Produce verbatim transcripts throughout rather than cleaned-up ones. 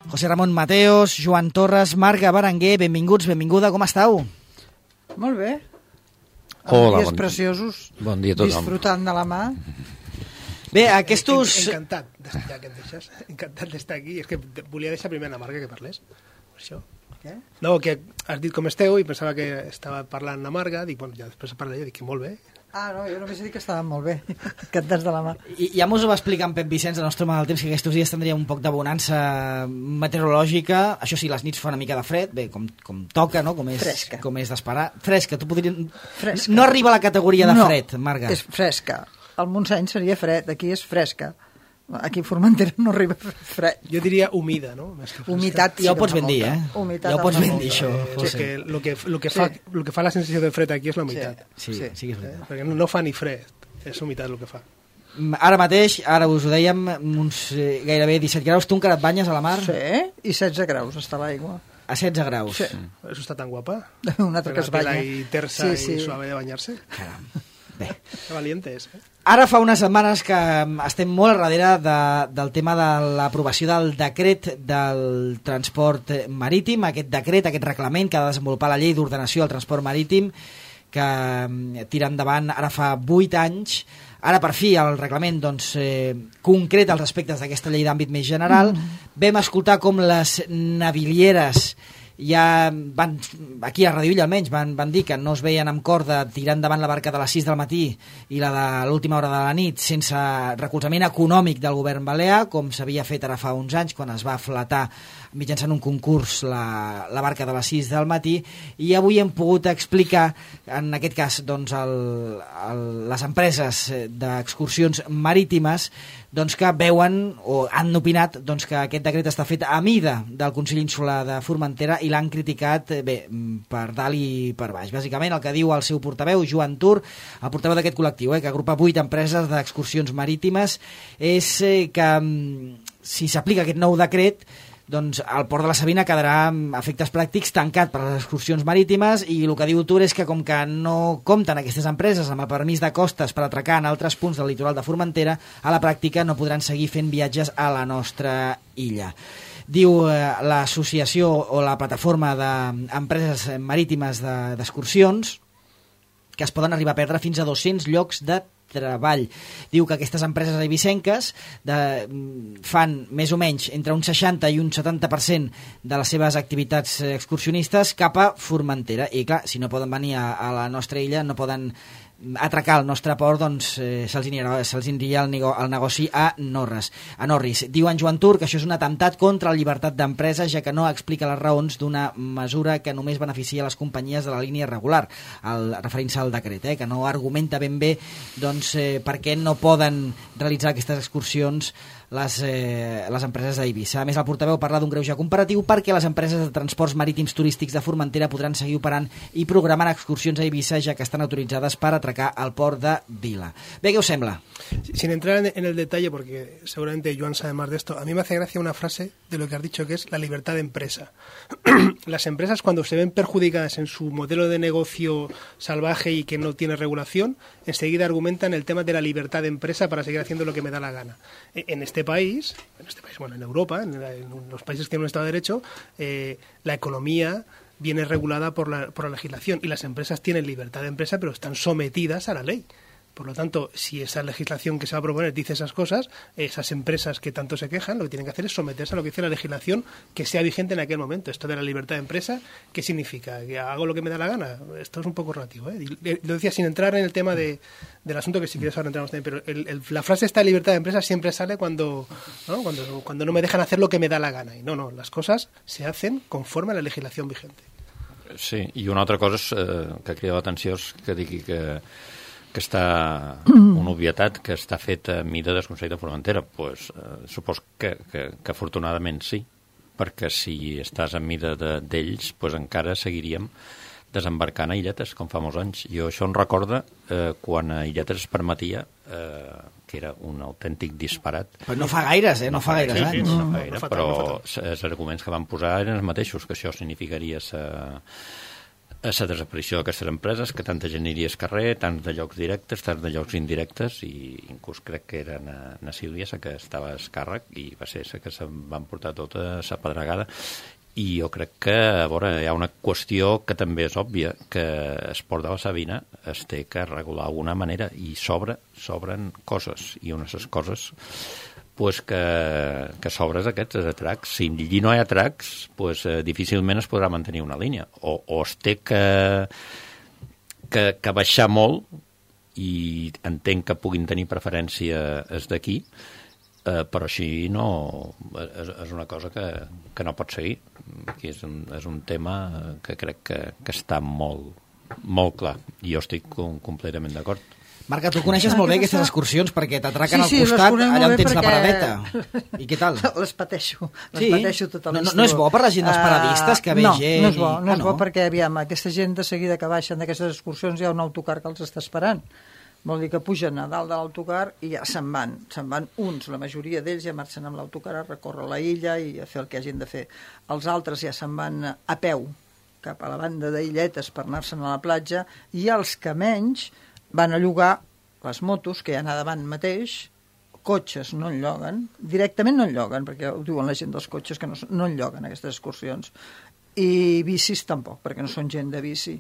José Ramon Mateos, Joan Torres, Marga Berenguer, benvinguts, benvinguda, com estàu? Molt bé. Hola, dies bon preciosos, bon dia a tothom. disfrutant de la mà. Bé, aquestos... Encantat, ja que em deixes, encantat d'estar aquí. És que volia deixar primer a Marga que parlés, per això. Què? No, que has dit com esteu i pensava que estava parlant a Marga, dic, bueno, ja després parlaré, dic que molt bé. Ah, no, jo només he dit que estàvem molt bé, encantats de la mà. I, ja mos ho va explicar en Pep Vicenç, el nostre home del temps, que aquests dies tindria un poc de bonança meteorològica. Això sí, les nits fa una mica de fred, bé, com, com toca, no? Com és, Fresca. Com és d'esperar. Fresca, tu podries... Fresca. No arriba a la categoria de no, fred, Marga. és fresca. Al Montseny seria fred, aquí és fresca. Aquí a Formentera no arriba fred. Jo diria humida, no? Més que fresca. Humitat sí Ja ho que pots fa ben dir, molta. eh? Humitat Ja ho pots en fa ben molta. dir, això, Sí, José. que lo que, lo que, fa, Sí. lo que fa la sensació de fred aquí és la humitat. Sí, sí, sí que és veritat. Eh? Perquè no fa ni fred, és humitat el que fa. Ara mateix, ara us ho dèiem, uns eh, gairebé disset graus. Tu encara et banyes a la mar? Sí, i setze graus està l'aigua. A setze graus. Sí. Per això està tan guapa. Un altre que es La pela banya. i tersa Sí, sí. i suave de banyar-se. Caram. Bé. Que valiente és, eh? Ara fa unes setmanes que estem molt al darrere de, del tema de l'aprovació del decret del transport marítim, aquest decret, aquest reglament que ha de desenvolupar la llei d'ordenació del transport marítim, que tira endavant ara fa vuit anys. Ara, per fi, el reglament doncs, eh, concreta els aspectes d'aquesta llei d'àmbit més general. Mm. Vam escoltar com les navilieres ja van, aquí a Radio Illa almenys, van, van dir que no es veien amb cor de tirar endavant la barca de les sis del matí i la de l'última hora de la nit sense recolzament econòmic del govern balear, com s'havia fet ara fa uns anys quan es va flatar mitjançant un concurs la, la barca de les sis del matí, i avui hem pogut explicar, en aquest cas doncs, el, el, les empreses d'excursions marítimes doncs, que veuen o han opinat doncs, que aquest decret està fet a mida del Consell Insular de Formentera i l'han criticat bé, per dalt i per baix. Bàsicament el que diu el seu portaveu, Joan Tur, el portaveu d'aquest col·lectiu, eh, que agrupa vuit empreses d'excursions marítimes, és eh, que si s'aplica aquest nou decret, doncs el port de la Sabina quedarà amb efectes pràctics tancat per les excursions marítimes, i el que diu Tur és que com que no compten aquestes empreses amb el permís de costes per atracar en altres punts del litoral de Formentera, a la pràctica no podran seguir fent viatges a la nostra illa. Diu eh, l'associació o la plataforma d'empreses marítimes d'excursions que es poden arribar a perdre fins a dos-cents llocs de treball. Diu que aquestes empreses eivissenques de, fan més o menys entre un seixanta i un setanta per cent de les seves activitats excursionistes cap a Formentera, i clar, si no poden venir a, a la nostra illa, no poden atracar el nostre port, doncs eh, se'ls anirà, se'ls aniria el, nego, el negoci a Norres, a Norris. Diu en Joan Tur que això és un atemptat contra la llibertat d'empresa, ja que no explica les raons d'una mesura que només beneficia les companyies de la línia regular, el, referint-se al decret, eh, que no argumenta ben bé doncs, eh, per què no poden realitzar aquestes excursions les, eh, les empreses d'Eivissa. A més, el portaveu parla d'un greuge comparatiu perquè les empreses de transports marítims turístics de Formentera podran seguir operant i programant excursions a Eivissa, ja que estan autoritzades per atracar al port de Vila. Bé, què us sembla? Sin entrar en el detalle, porque seguramente Joan sabe más de esto, a mí me hace gracia una frase de lo que has dicho, que es la libertad de empresa. Las empresas, cuando se ven perjudicadas en su modelo de negocio salvaje y que no tiene regulación, enseguida argumentan el tema de la libertad de empresa para seguir haciendo lo que me da la gana. En este país, en este país, bueno, en Europa, en, la, en los países que tienen un Estado de Derecho, eh, la economía viene regulada por la, por la legislación, y las empresas tienen libertad de empresa, pero están sometidas a la ley. Por lo tanto, si esa legislación que se va a proponer dice esas cosas, esas empresas que tanto se quejan, lo que tienen que hacer es someterse a lo que dice la legislación que sea vigente en aquel momento. Esto de la libertad de empresa, ¿qué significa? ¿Que hago lo que me da la gana? Esto es un poco relativo, ¿eh? Lo decía sin entrar en el tema de, del asunto, que si quieres ahora entramos también, pero el, el, la frase esta de libertad de empresa siempre sale cuando ¿no? Cuando, cuando no me dejan hacer lo que me da la gana. Y no, no, las cosas se hacen conforme a la legislación vigente. Sí, i una altra cosa és, eh, que crida l'atenció és que digui que que està una obvietat que està fet a mida del Consell de Formentera. Pues, eh, supos que, que, que afortunadament sí, perquè si estàs a mida d'ells, pues encara seguiríem desembarcant a illetes, com fa molts anys. Jo això em recorda eh, quan a illetes es permetia, eh, que era un autèntic disparat. Però no fa gaires, eh? No, no fa gaires anys. Sí, sí, no fa gaire, no fa però tant, no fa els arguments que van posar eren els mateixos, que això significaria sa, a la desaparició d'aquestes empreses, que tanta gent iria al carrer, tants de llocs directes, tants de llocs indirectes, i inclús crec que era na, na Sílvia la que estava al càrrec, i va ser la que se'n van portar tota la pedregada. I jo crec que, a veure, hi ha una qüestió que també és òbvia, que el port de la Sabina es té que regular d'alguna manera, i sobre, sobren coses, i unes de les coses pues que, que sobres aquests atracs. Si allí no hi ha atracs, pues, eh, difícilment es podrà mantenir una línia. O, o es té que, que, que baixar molt, i entenc que puguin tenir preferència els d'aquí, eh, però així no... És, és una cosa que, que no pot seguir. Aquí és un, és un tema que crec que, que està molt, molt clar. I jo estic com, completament d'acord. Marca, tu coneixes molt bé aquestes excursions perquè t'atraquen sí, sí, al costat allà on tens perquè... la paradeta. I què tal? Les pateixo, les sí? pateixo tot no, no, no és bo per la gent dels paradistes que ve uh, gent? No, no és bo, no ah, és bo no? perquè, aviam, aquesta gent de seguida que baixen d'aquestes excursions hi ha un autocar que els està esperant. Vol dir que pugen a dalt de l'autocar i ja se'n van. Se'n van uns, la majoria d'ells ja marxen amb l'autocar a recórrer la illa i a fer el que hagin de fer. Els altres ja se'n van a peu cap a la banda d'Illetes per anar-se'n a la platja, i els que menys van a llogar les motos, que hi ha a davant mateix, cotxes no en lloguen, directament no en lloguen, perquè ho diuen la gent dels cotxes, que no, no en lloguen aquestes excursions, i bicis tampoc, perquè no són gent de bici.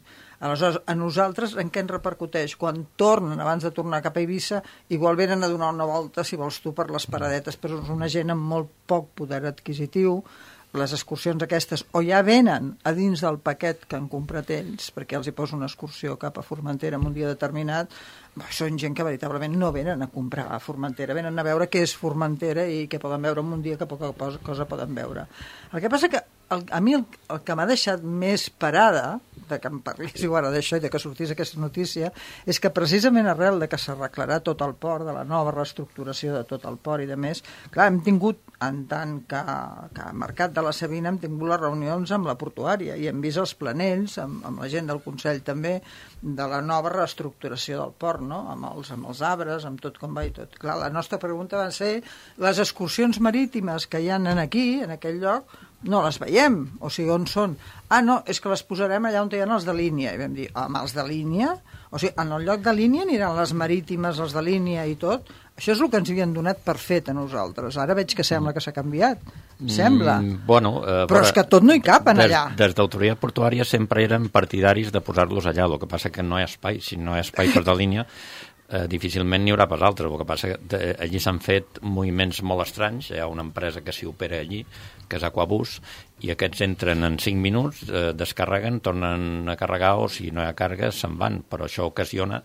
Aleshores, a nosaltres en què ens repercuteix? Quan tornen, abans de tornar cap a Eivissa, igual venen a donar una volta, si vols tu, per les paradetes, però és una gent amb molt poc poder adquisitiu. Les excursions aquestes o ja venen a dins del paquet que han comprat ells, perquè els hi posa una excursió cap a Formentera en un dia determinat, són gent que veritablement no venen a comprar a Formentera, venen a veure què és Formentera i què poden veure en un dia, que poca cosa poden veure. El que passa que el, a mi el, el que m'ha deixat més parada, de que em parléssiu ara d'això i de que sortís aquesta notícia, és que precisament arrel de que s'arreglarà tot el port, de la nova reestructuració de tot el port i de més, clar, hem tingut, en tant que, que Mercat de la Sabina, hem tingut les reunions amb la portuària i hem vist els planells, amb, amb la gent del Consell també, de la nova reestructuració del port, no? amb, els, amb els arbres, amb tot com va i tot. Clar, la nostra pregunta va ser les excursions marítimes que hi ha aquí, en aquell lloc, no les veiem, o sigui, on són? Ah, no, és que les posarem allà on hi ha els de línia. I vam dir, amb els de línia? O sigui, en el lloc de línia aniran les marítimes, els de línia i tot? Això és el que ens havien donat per fet a nosaltres. Ara veig que sembla que s'ha canviat. Sembla. Mm, bueno, eh, però és que tot no hi cap en allà. Des, des d'autoritat portuària sempre eren partidaris de posar-los allà. El que passa que no hi ha espai. Si no hi ha espai per de línia, eh, difícilment n'hi haurà pas altres. El que passa que de, allí s'han fet moviments molt estranys. Hi ha una empresa que s'hi opera allí, que és Aquabus, i aquests entren en cinc minuts, eh, descarreguen, tornen a carregar, o si no hi ha càrrega se'n van, però això ocasiona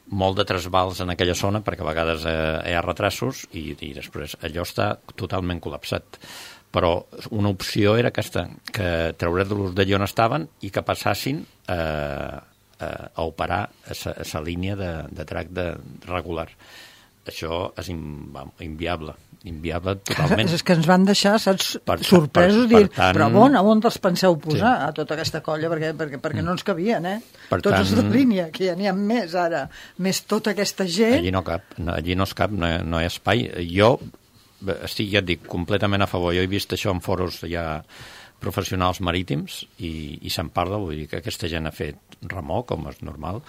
molt de trasbals en aquella zona, perquè a vegades eh, hi ha retrasos i, i després allò està totalment col·lapsat. Però una opció era aquesta, que treure'ls d'allà on estaven i que passassin eh, eh, a operar a la línia de, de trac de regular. Això és inviable, inviable totalment. És que ens van deixar, saps, per, sorpresos, per, per, dir, tant, però on, on els penseu posar, sí, a tota aquesta colla, perquè, perquè, perquè no ens cabien, eh? Per Tots tant, els de línia, que ja n'hi ha més ara, més tota aquesta gent... Allí no cap, no, allí no es cap, no, no hi ha espai. Jo estic, ja et dic, completament a favor. Jo he vist això en foros ja professionals marítims i, i se'n parla, vull dir que aquesta gent ha fet remor, com és normal.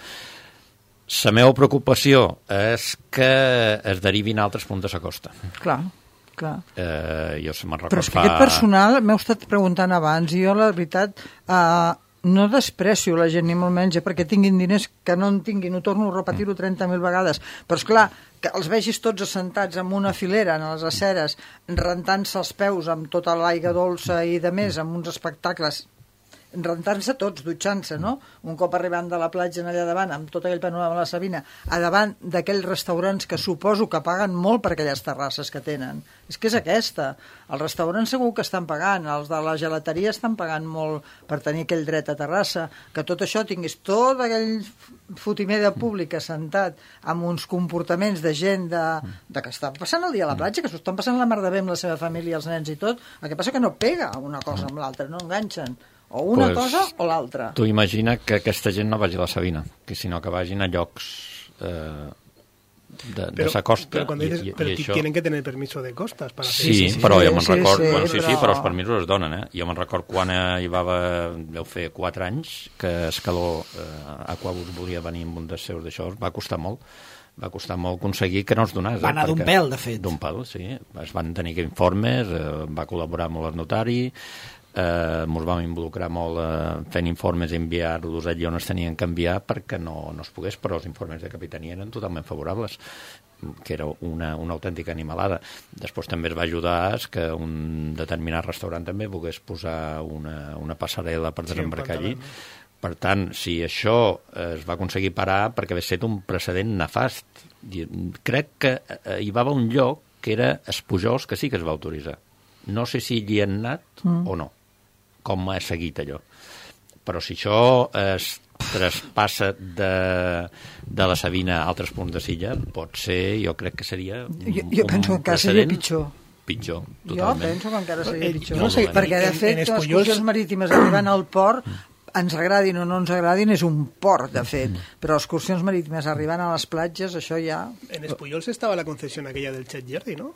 La meva preocupació és que es derivin a altres punts de la costa. Clar, clar. Eh, jo se me'n record Però és que fa... aquest personal, m'heu estat preguntant abans, i jo, la veritat, eh, no desprecio la gent, ni molt menys, perquè tinguin diners que no en tinguin, ho torno a repetir-ho trenta mil vegades, però és clar, que els vegis tots assentats en una filera, en les aceres, rentant-se els peus amb tota l'aigua dolça i de més, amb uns espectacles, rentant-se tots, dutxant-se, no? Un cop arribant de la platja allà davant, amb tot aquell panorama de la Sabina, a davant d'aquells restaurants que suposo que paguen molt per aquelles terrasses que tenen. És que és aquesta. Els restaurants segur que estan pagant, els de la gelateria estan pagant molt per tenir aquell dret a terrassa, que tot això tinguis tot aquell fotimer de públic assentat amb uns comportaments de gent de, de que està passant el dia a la platja, que s'ho estan passant la mar de bé amb la seva família, els nens i tot, el que passa que no pega una cosa amb l'altra, no enganxen. O una pues, cosa o l'altra. Tu imagina que aquesta gent no vagi a la Sabina, que sinó que vagin a llocs eh, de, pero, de sa costa. Pero, cuando dices, i, i, pero i això... tienen que tener permiso de costas para hacer Sí, eso. sí, sí, però sí, jo me'n sí, record... sí, Bueno, sí, però... sí, però els permisos es donen, eh? Jo me'n record quan eh, hi va haver, deu fer quatre anys, que Escaló, eh, Aquabus volia venir amb un dels seus d'això, va costar molt. Va costar molt aconseguir que no es donés. Va anar eh, d'un pèl, de fet. D'un pèl, sí. Es van tenir que informes, eh, va col·laborar molt el notari, eh, ens vam involucrar molt eh, fent informes i enviar-los allà on es tenien que enviar perquè no, no es pogués, però els informes de capitania eren totalment favorables, que era una, una autèntica animalada. Després també es va ajudar que un determinat restaurant també volgués posar una, una passarel·la per desembarcar sí, allí. Per tant, si això es va aconseguir parar perquè va ser un precedent nefast. Crec que hi va haver un lloc que era Espujols, que sí que es va autoritzar. No sé si hi han anat mm. o no, com ha seguit allò. Però si això es traspassa de, de la Sabina a altres punts de Silla, pot ser, jo crec que seria un, jo, jo penso que encara seria pitjor. Pitjor, totalment. Jo penso que encara seria pitjor. No sé, perquè, de fet, les excursions marítimes arribant al port, ens agradin o no ens agradin, és un port, de fet. Però excursions marítimes arribant a les platges, això ja... En Espullols estava la concessió aquella del Chet Jerry, no?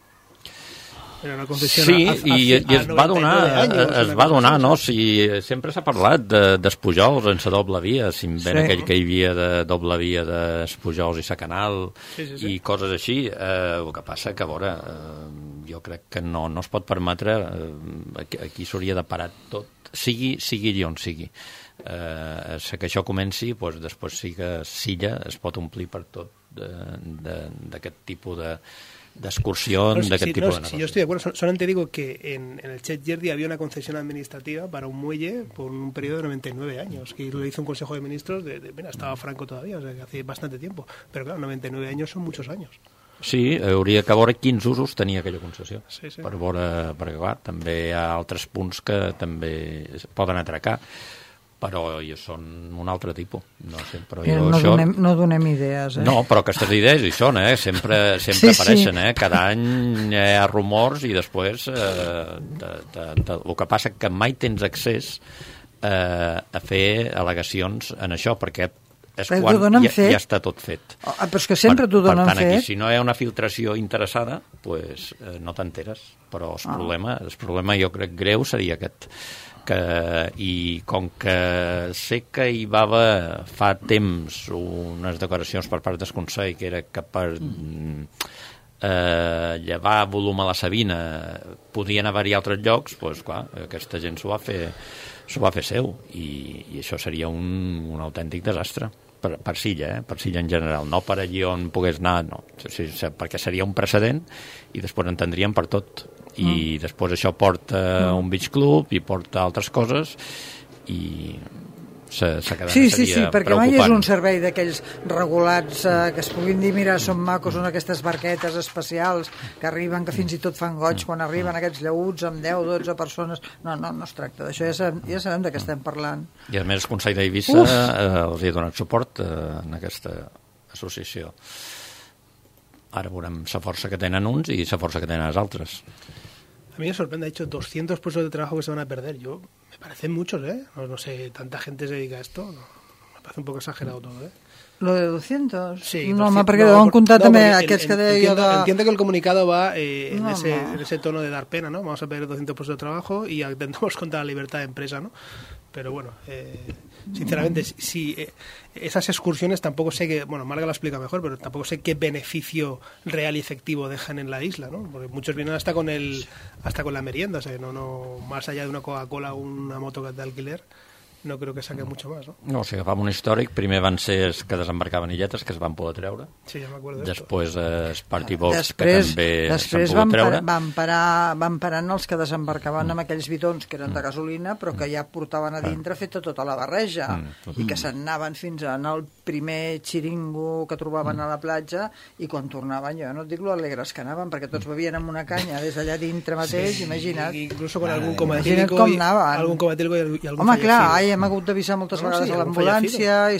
Era una concessió sí, a, a, i, a, i es va donar, anys, es va donar, no? Si sempre s'ha parlat d'Espujols sense doble via, si ben sí. aquell que hi havia de doble via d'Espujols i Sacanal sí, sí, sí. i coses així. Eh, el que passa que, a veure, eh, jo crec que no, no es pot permetre, eh, aquí, aquí s'hauria de parar tot, sigui, sigui on sigui. Eh, que això comenci, doncs després sí que Silla es pot omplir per tot d'aquest tipus de d'excursión, no, de qué sí, tipo no, de negocio. Si yo estoy de acuerdo, solamente digo que en, en el Chet Jerdy había una concesión administrativa para un muelle por un periodo de noventa y nueve años, que lo hizo un Consejo de Ministros, de, de, mira, estaba Franco todavía, o sea, que hace bastante tiempo, pero claro, noventa y nueve años son muchos años. Sí, hauria que veure quins usos tenia aquella concessió, sí, sí. per veure, perquè clar, també hi ha altres punts que també poden atracar, però són un altre tipus. No sé, però jo no, això... donem, no donem idees, eh? No, però aquestes idees hi són, eh? Sempre, sempre sí, apareixen, sí. eh? Cada any hi ha rumors i després eh, de, de, de, el que passa que mai tens accés eh, a fer al·legacions en això, perquè és però quan ja, ja està tot fet. Oh, però és que sempre t'ho donen fet. Per tant, aquí, si no hi ha una filtració interessada, pues, eh, no t'enteres. Però el, oh. problema, el problema, jo crec, greu seria aquest. Que, i com que sé que hi va haver fa temps unes declaracions per part del Consell que era que per eh, llevar volum a la Sabina podien haver-hi altres llocs, doncs clar, aquesta gent s'ho va fer s'ho va fer seu i, i això seria un, un autèntic desastre per, per Silla, eh? Per Silla en general, no per allí on pogués anar, no, sí, sí, perquè seria un precedent i després en tindríem per tot i mm. després això porta mm. un beach club i porta altres coses i se, se quedarà, sí, sí, sí, perquè preocupant. mai és un servei d'aquells regulats eh, que es puguin dir, mira, són macos, són aquestes barquetes especials que arriben, que fins i tot fan goig quan arriben aquests llauts amb deu o dotze persones. No, no, no es tracta d'això, ja sabem, ja sabem de què estem parlant. I a més el Consell d'Eivissa eh, els hi ha donat suport eh, en aquesta associació. Ara veurem la força que tenen uns i la força que tenen els altres. A mí me sorprende, ha dicho doscientos puestos de trabajo que se van a perder. Yo, me parecen muchos, ¿eh? No, no sé, tanta gente se dedica a esto. No, me parece un poco exagerado todo, ¿eh? ¿Lo de doscientos? Sí. No, home, perquè deuen comptar no, també aquests que deia entiendo, jo de... Entiendo que el comunicado va eh, en, no, ese, no. en ese tono de dar pena, ¿no? Vamos a perder doscientos puestos de trabajo y atentamos contra la libertad de empresa, ¿no? Pero bueno, eh, sinceramente, si, si eh, esas excursiones tampoco sé que, bueno, Marga lo explica mejor, pero tampoco sé qué beneficio real y efectivo dejan en la isla, ¿no? Porque muchos vienen hasta con el, hasta con la merienda, o sea, no, no, más allá de una Coca-Cola o una moto de alquiler, no creo que saque mucho más, ¿no? No, si agafam un històric, primer van ser els que desembarcaven illetes, que es van poder treure. Sí, ja m'acordo després els party boats, després, que també després s'han pogut treure. Van, parar, van parant els que desembarcaven amb aquells bidons que eren de gasolina, però que ja portaven a dintre feta tota la barreja, mm. i que se'n anaven fins a anar al primer xiringo que trobaven a la platja, i quan tornaven, jo no et dic lo alegres que anaven, perquè tots bevien amb una canya des d'allà dintre mateix, sí, imagina't. Incluso con algún cometílico com i, algun cometílico i, i algun Home, fallecido. clar, ai, hem hagut d'avisar moltes no, vegades sí, a l'ambulància i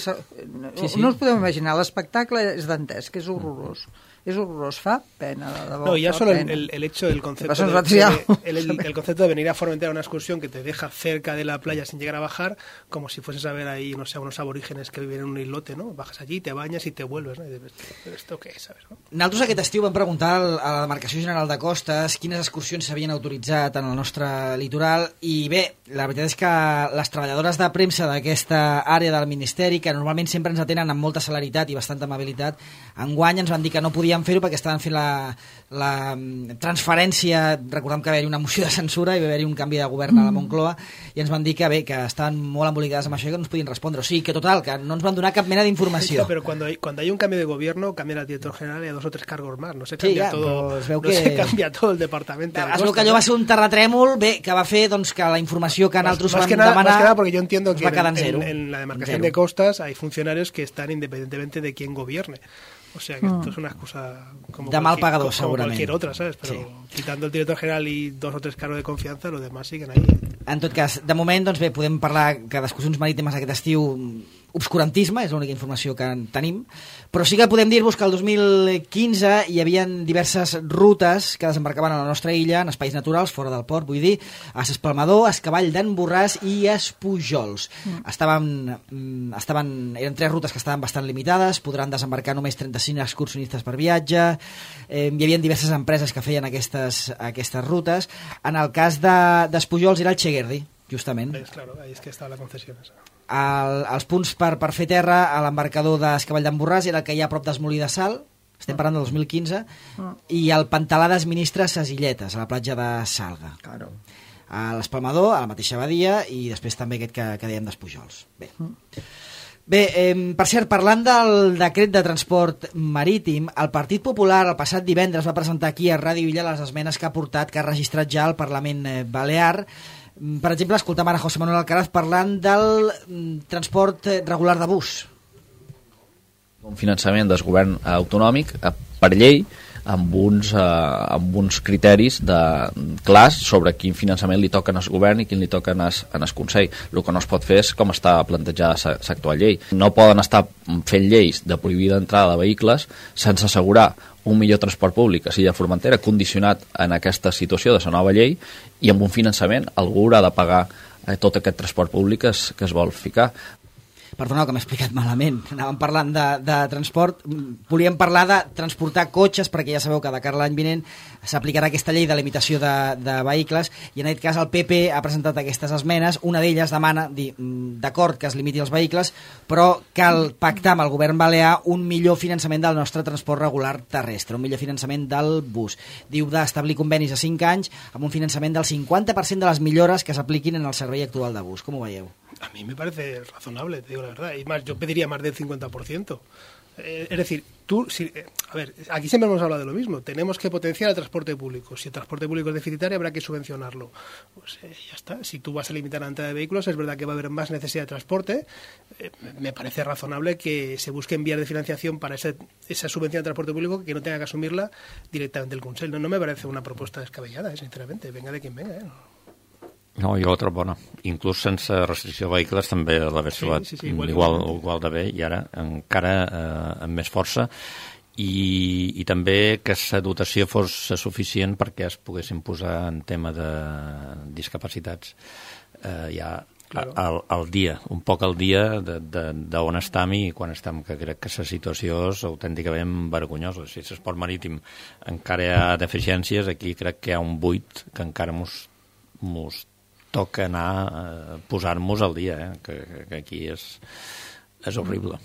no, sí, sí. no us podeu imaginar, l'espectacle és dantesc, és horrorós, és horrorós, fa pena, de debò. No, ya fa solo el, pena. el, el hecho del concepto Pasa un de, rato ya. de- el, el- el concepto de venir a Formentera a una excursión que te deja cerca de la playa sin llegar a bajar, como si fueses a ver ahí, no sé, unos aborígenes que viven en un islote, ¿no? Bajas allí, te bañas y te vuelves, ¿no? Y dices, ¿pero esto qué es, sabes, no? Nosaltres aquest estiu vam preguntar al- a la Demarcació General de Costes quines excursions s'havien autoritzat en el nostre litoral i bé, la veritat és que les treballadores de premsa d'aquesta àrea del Ministeri, que normalment sempre ens atenen amb molta celeritat i bastanta amabilitat, enguany ens van dir que no podien fer-ho perquè estaven fent la, la mm, transferència, recordem que va haver-hi una moció de censura i va haver-hi un canvi de govern a la Moncloa i ens van dir que bé, que estaven molt embolicades amb això i que no ens podien respondre, o sigui que total, que no ens van donar cap mena d'informació. No, pero cuando hay, cuando hay un cambio de gobierno, cambia el director general y a dos o tres cargos más. No se Sí, cambia ja, todo, però es veu no que- se cambia todo el departamento. de Es veu que costas, allò ¿no? va ser un terratrèmol, bé, que va fer doncs, que la informació que Más, nosaltres más vam que nada, demanar más que nada porque yo entiendo ens que va en, quedar en en- zero. en la demarcación En de zero. costas hay funcionarios que están independientemente de quién gobierne. O sea que esto es una excusa como, De mal cualquier- pagador, como seguramente. cualquier otra, ¿sabes? Pero Sí. quitando el director general y dos o tres cargos de confianza, los demás siguen ahí. En tot cas, de moment, doncs bé, podem parlar que d'excursions marítimes aquest estiu obscurantisme, és l'única informació que en tenim, però sí que podem dir-vos que el dos mil quinze hi havia diverses rutes que desembarcaven a la nostra illa, en espais naturals, fora del port, vull dir, a S'Espalmador, a Escavall d'en Borràs i a Espujols. Mm. Estaven, mm, estaven, eren tres rutes que estaven bastant limitades, podran desembarcar només trenta-cinc excursionistes per viatge, eh, hi havia diverses empreses que feien aquestes, aquestes rutes. En el cas de, d'Espujols era el Cheguerdi, justament. Es claro, ahí es que está la concesión esa. El, els punts per, per fer terra a l'embarcador d'Escavall d'en Borràs era el que hi ha a prop d'Esmolí de Sal, estem parlant del dos mil quinze, i el Pantalà d'Esministra Ses Illetes, a la platja de Salga. Claro. A l'Espalmador, a la mateixa badia, i després també aquest que, que dèiem d'Espujols. Bé, Bé eh, per cert, parlant del decret de transport marítim, el Partit Popular el passat divendres va presentar aquí a Ràdio Illa les esmenes que ha portat, que ha registrat ja el Parlament eh, Balear. Per exemple, escoltem ara José Manuel Alcaraz parlant del mm, transport eh, regular de bus. Un finançament del govern autonòmic eh, per llei amb uns, eh, amb uns criteris de, clars sobre quin finançament li toquen al govern i quin li toquen al, al Consell. El que no es pot fer és com està plantejada l'actual llei. No poden estar fent lleis de prohibir l'entrada de vehicles sense assegurar un millor transport públic a Silla de Formentera condicionat en aquesta situació de la nova llei i amb un finançament algú haurà de pagar eh, tot aquest transport públic que es, que es vol ficar. Perdoneu que m'he explicat malament, anàvem parlant de, de transport, volíem parlar de transportar cotxes, perquè ja sabeu que de cara a l'any vinent s'aplicarà aquesta llei de limitació de, de vehicles, i en aquest cas el P P ha presentat aquestes esmenes, una d'elles demana, dir, d'acord que es limiti els vehicles, però cal pactar amb el govern balear un millor finançament del nostre transport regular terrestre, un millor finançament del bus. Diu d'establir convenis a cinc anys amb un finançament del cinquanta per cent de les millores que s'apliquin en el servei actual de bus. Com ho veieu? A mí me parece razonable, te digo la verdad. Y más, yo pediría más del cincuenta por ciento. Eh, es decir, tú, si, eh, a ver, aquí siempre hemos hablado de lo mismo. Tenemos que potenciar el transporte público. Si el transporte público es deficitario, habrá que subvencionarlo. Pues eh, ya está. Si tú vas a limitar la entrada de vehículos, es verdad que va a haber más necesidad de transporte. Eh, me parece razonable que se busquen vías de financiación para ese, esa subvención de transporte público que no tenga que asumirla directamente el Consell. No, no me parece una propuesta descabellada, eh, sinceramente. Venga de quien venga, ¿eh? No, jo la trobo bona. Inclús sense restricció de vehicles també l'hagués Sí, trobat sí, sí, igual, igual, igual. igual de bé i ara encara eh, amb més força i, i també que la dotació fos suficient perquè es poguessin posar en tema de discapacitats eh, ja Claro. al, al dia, un poc al dia d'on estem i quan estem, que crec que la situació és autènticament vergonyosa. Si l'esport marítim encara hi ha deficiències, aquí crec que hi ha un buit que encara mos, mos toca anar a posar-nos al dia, eh? que, que aquí és, és horrible.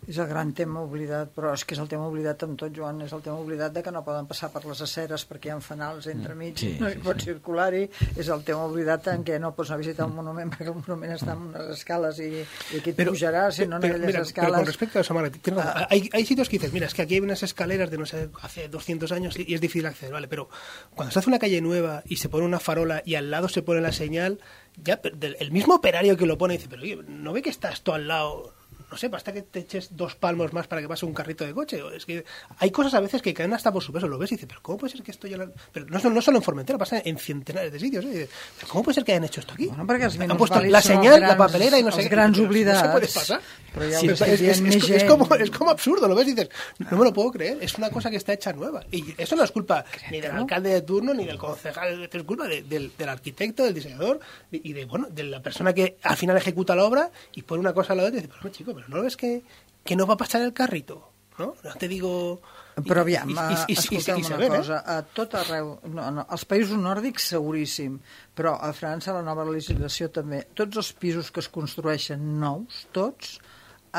És el gran tema oblidat, però és que és el tema oblidat amb tot, Joan, és el tema oblidat de que no poden passar per les aceres perquè hi ha fanals entremig, Sí, no sí, hi pot circular-hi, és el tema oblidat en què no pots anar a visitar un monument perquè el monument està en unes escales i, i aquí et Pero, pujaràs, si no en pero, aquelles mira, escales... pero con respecto a eso, Margaret, tienes razón. hay, hay sitios que dices, mira, es que aquí hay unas escaleras de no sé, hace doscientos años y, y es difícil acceder, vale, pero cuando se hace una calle nueva y se pone una farola y al lado se pone la señal, ya del- el mismo operario que lo pone dice, pero oye, ¿no ve que está esto al lado? no sé, basta que te eches dos palmos más para que pase un carrito de coche. Es que hay cosas a veces que caen hasta por su peso, lo ves y dices, pero ¿cómo puede ser que esto ya lo... Pero no, no solo en Formentera, pasa en centenares de sitios, ¿eh? ¿Pero cómo puede ser que hayan hecho esto aquí? Bueno, perquè els Han puesto la señal, la papelera y no sé els qué. grans No oblidats. se puede pasar. Però ja Sí, ho es, sé, es- es- més es- es gent. como, es como absurdo, lo ves y dices, no me lo puedo creer, es una cosa que está hecha nueva. Y eso no es culpa ni del alcalde de turno, ni del concejal, es culpa de- del, del arquitecto, del diseñador y de, bueno, de la persona que al final ejecuta la obra y pone una cosa a la otra y dices, pero no, chico, pero no lo ves que, que no va a pasar el carrito, ¿no? No te digo... Però aviam, I- i- i- i- escolteu i- i- una saber, eh? cosa, a tot arreu, no, no, als països nòrdics seguríssim, però a França la nova legislació també, tots els pisos que es construeixen nous, tots,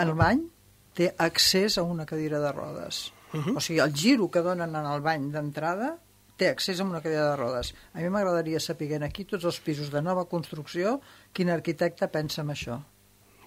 el bany té accés a una cadira de rodes. Uh-huh. O sigui, el giro que donen en el bany d'entrada té accés a una cadira de rodes. A mi m'agradaria saber aquí tots els pisos de nova construcció quin arquitecte pensa en això.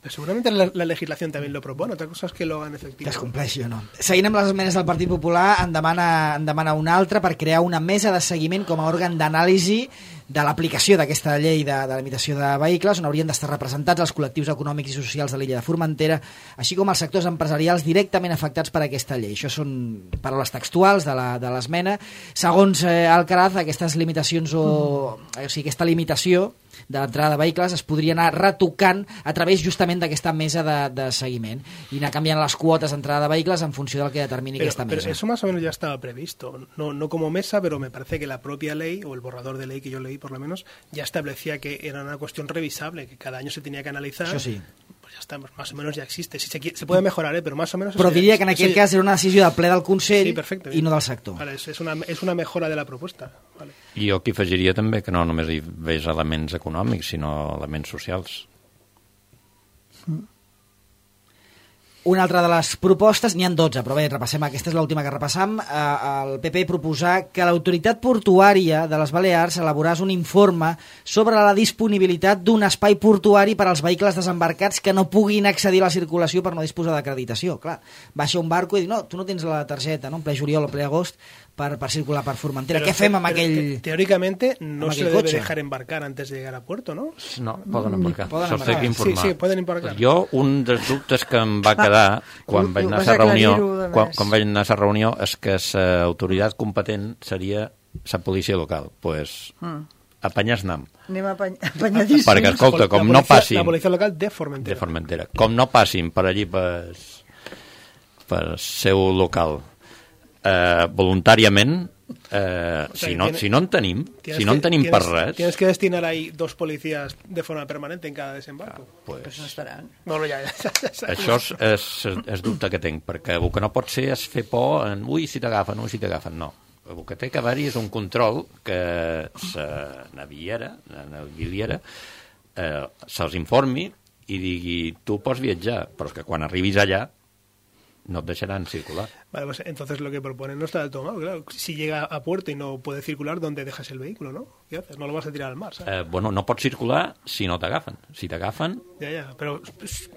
Pero seguramente la, la legislación también lo propone, otra cosa es que lo hagan efectivo. Que es compleixi o no. Seguint amb les esmenes del Partit Popular, en demana, en demana una altra per crear una mesa de seguiment com a òrgan d'anàlisi de l'aplicació d'aquesta llei de, de limitació de vehicles, on haurien d'estar representats els col·lectius econòmics i socials de l'illa de Formentera, així com els sectors empresarials directament afectats per aquesta llei. Això són paraules textuals de la- de l'esmena. Segons eh, Alcaraz, aquestes limitacions o, o sigui, aquesta limitació de l'entrada de vehicles es podria anar retocant a través justament d'aquesta mesa de, de seguiment i anar canviant les quotes d'entrada de vehicles en funció del que determini Pero, aquesta pero mesa. eso más o menos ya estaba previsto, no, no como mesa, pero me parece que la propia ley, o el borrador de ley que yo leí por lo menos, ya establecía que era una cuestión revisable, que cada año se tenía que analizar. Això sí. Pues ya está, más o menos ya existe. Si se, qui- se puede mejorar, ¿eh? Pero más o menos... Però eso ya- diria que en eso aquest ya- cas era una decisió del ple del Consell Sí, perfecte, i no del sector. Vale, es, es una, es una mejora de la propuesta. Vale. I jo aquí afegiria també que no només hi veig elements econòmics, sinó elements socials. Una altra de les propostes, n'hi han dotze, però bé, repassem, aquesta és l'última que repassam. Eh, el P P proposar que l'autoritat portuària de les Balears elaborés un informe sobre la disponibilitat d'un espai portuari per als vehicles desembarcats que no puguin accedir a la circulació per no disposar d'acreditació. Clar, baixa un barco i diu, no, tu no tens la targeta, no?, en ple juliol o ple agost, per, per circular per Formentera. Pero- Què fem amb pero aquell... te- teóricamente no amb se aquell le debe cotxe? dejar embarcar antes de llegar a puerto, ¿no? No, poden embarcar. Poden Això embarcar. sé que informar. Sí, sí, poden embarcar. Jo, un dels dubtes que em va quedar quan ho- vaig ho anar a vas la reunió, aclarir-ho de quan, més. quan vaig anar a la reunió és que l'autoritat competent seria la policia local. Pues, Mm. apanyar nam. Anem apany apanyadíssims. Perquè, escolta, La com policia- no passin... La policía local de Formentera. de Formentera. Com no passin per allí per, per seu local eh, voluntàriament, eh, O sea, si, no, tiene- si no en tenim, Tienes si no en que- tenim per tienes- res, Tienes que destinar ahí dos policías de forma permanente en cada desembarco. Pues pues, no estaran. No, no, ya, ya, ya, ya. això és, és, és dubte que tinc, perquè el que no pot ser és fer por en ui, si t'agafen, ui, si t'agafen, no. El que té que haver-hi és un control que la naviera, la naviliera, eh, se'ls informi i digui, tu pots viatjar, però és que quan arribis allà no et deixaran circular. Vale, pues entonces lo que proponen no está del todo mal. Claro, si llega a puerto y no puede circular, ¿dónde dejas el vehículo, no? ¿Qué haces? No lo vas a tirar al mar, ¿sabes? Eh, bueno, no pots circular si no t'agafen. Si t'agafen, Ya, ya, pero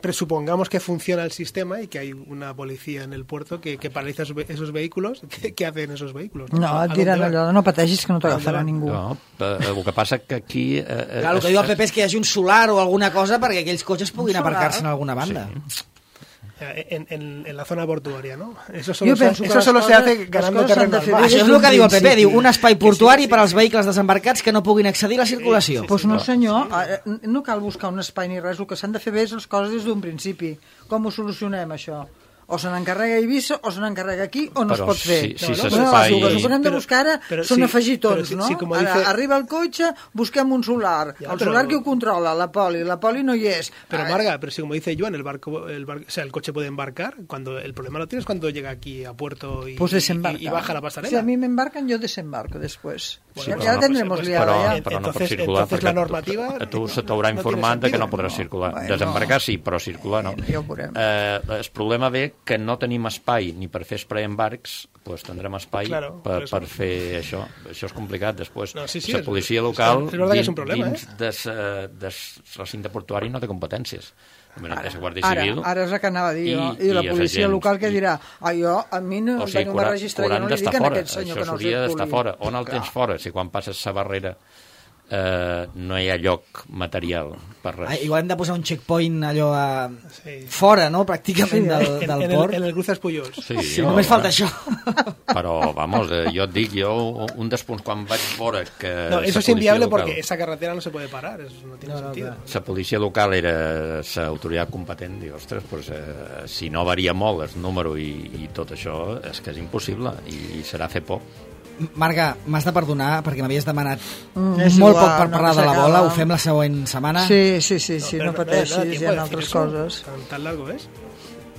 presupongamos que funciona el sistema y que hay una policía en el puerto que, que paraliza esos, ve- esos vehículos. ¿Qué, qué hacen esos vehículos? No, ¿A et dónde diran van? allò, no pateixis que no t'agafarà van? ningú. no, eh, el que passa que aquí... Eh, Clar, el que diu el P P és que hi hagi un solar o alguna cosa perquè aquells cotxes puguin Un solar? aparcar-se en alguna banda. Sí. En, en, en la zona portuaria, ¿no? Eso solo, Yo se, pienso que eso las solo se cosas- hace las ganando cosas terreno han al de mar. fer Això és des el que d'un diu el P P, principi. diu un espai portuari per als vehicles desembarcats que no puguin accedir a la circulació. Sí, Doncs pues no, senyor, eh, no cal buscar un espai ni res, el que s'han de fer bé és les coses des d'un principi. Com ho solucionem, això? O se n'encarrega Eivissa, o se n'encarrega aquí, o no Però es pot fer. si- si no, no, s'espai- no, el que hem de Però- buscar ara però són sí, afegitons, però sí- no? sí, com Ara, dice- arriba el cotxe, busquem un solar. Ja, el però- solar que ho controla, la poli. La poli no hi és. Pero Ah, Marga, pero si como dice Joan, el barco, el bar- o sea, el coche puede embarcar, cuando el problema lo tienes cuando llega aquí a puerto y, Pues desembarca. y, y baja la pasarela. Si a mi m'embarcan, yo desembarco después. Sí, ya però ya no- tendremos pues- liada però, ya. però no pots Entonces- circular entonces perquè la normativa a tu se no- t'haurà no informat tiene que no sentido. podràs circular. Bueno, Desembarcar sí, però circular no. Bueno, ja ho veurem. Eh, el problema ve que no tenim espai ni per fer preembarcs, doncs tindrem espai Claro, per, por eso. per fer això. Això és complicat. Després, No, sí, sí, la és- policia és- local és verdad que és dins, un problema, dins eh? des, eh, des recinte portuari no té competències. Ara, és la Guàrdia Ara, Civil. ara és el que anava a dir jo. I- I, la i els policia agents. local que I- dirà ah, jo, a mi no, O sigui, no que m'ha hauran, registrat, jo hauran no li d'estar dic a fora. aquest senyor Això que no s'hauria d'estar circuli. fora. On el Clar. tens fora? Si quan passes la barrera eh, no hi ha lloc material per res. Ah, igual hem de posar un checkpoint allò a... Sí. fora, no?, pràcticament Sí, del, En, del en, el, port. en el Cruzas Pujols. Sí, Sí, jo, només falta eh, això. Però, vamos, eh, jo et dic, jo, un dels punts quan vaig veure que... No, la eso es policia inviable local- porque esa carretera no se puede parar, eso no tiene No, no, sentido. claro. la policia local era l'autoritat competent, dic, ostres, pues, eh, si no varia molt el número i, i tot això, és que és impossible i, i serà fer por. Marga, m'has de perdonar perquè m'havies demanat Mm, és molt igual, poc per no parlar de la s'acaba. bola, ho fem la següent setmana. Sí, sí, sí, sí, Pero no da- da pateixis, tiempo hi de ha decir altres eso. coses. Tan, tan largo es.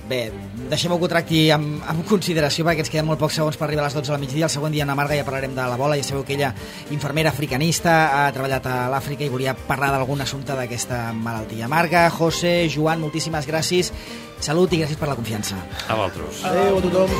Bé, deixem-ho que ho tracti amb, amb consideració perquè ens queden molt pocs segons per arribar a les dotze de la migdia. El següent dia amb la Marga ja parlarem de la bola. Ja sabeu que ella, infermera africanista, ha treballat a l'Àfrica i volia parlar d'algun assumpte d'aquesta malaltia. Marga, José, Joan, moltíssimes gràcies. Salut i gràcies per la confiança. A vosaltres. Adeu a tothom.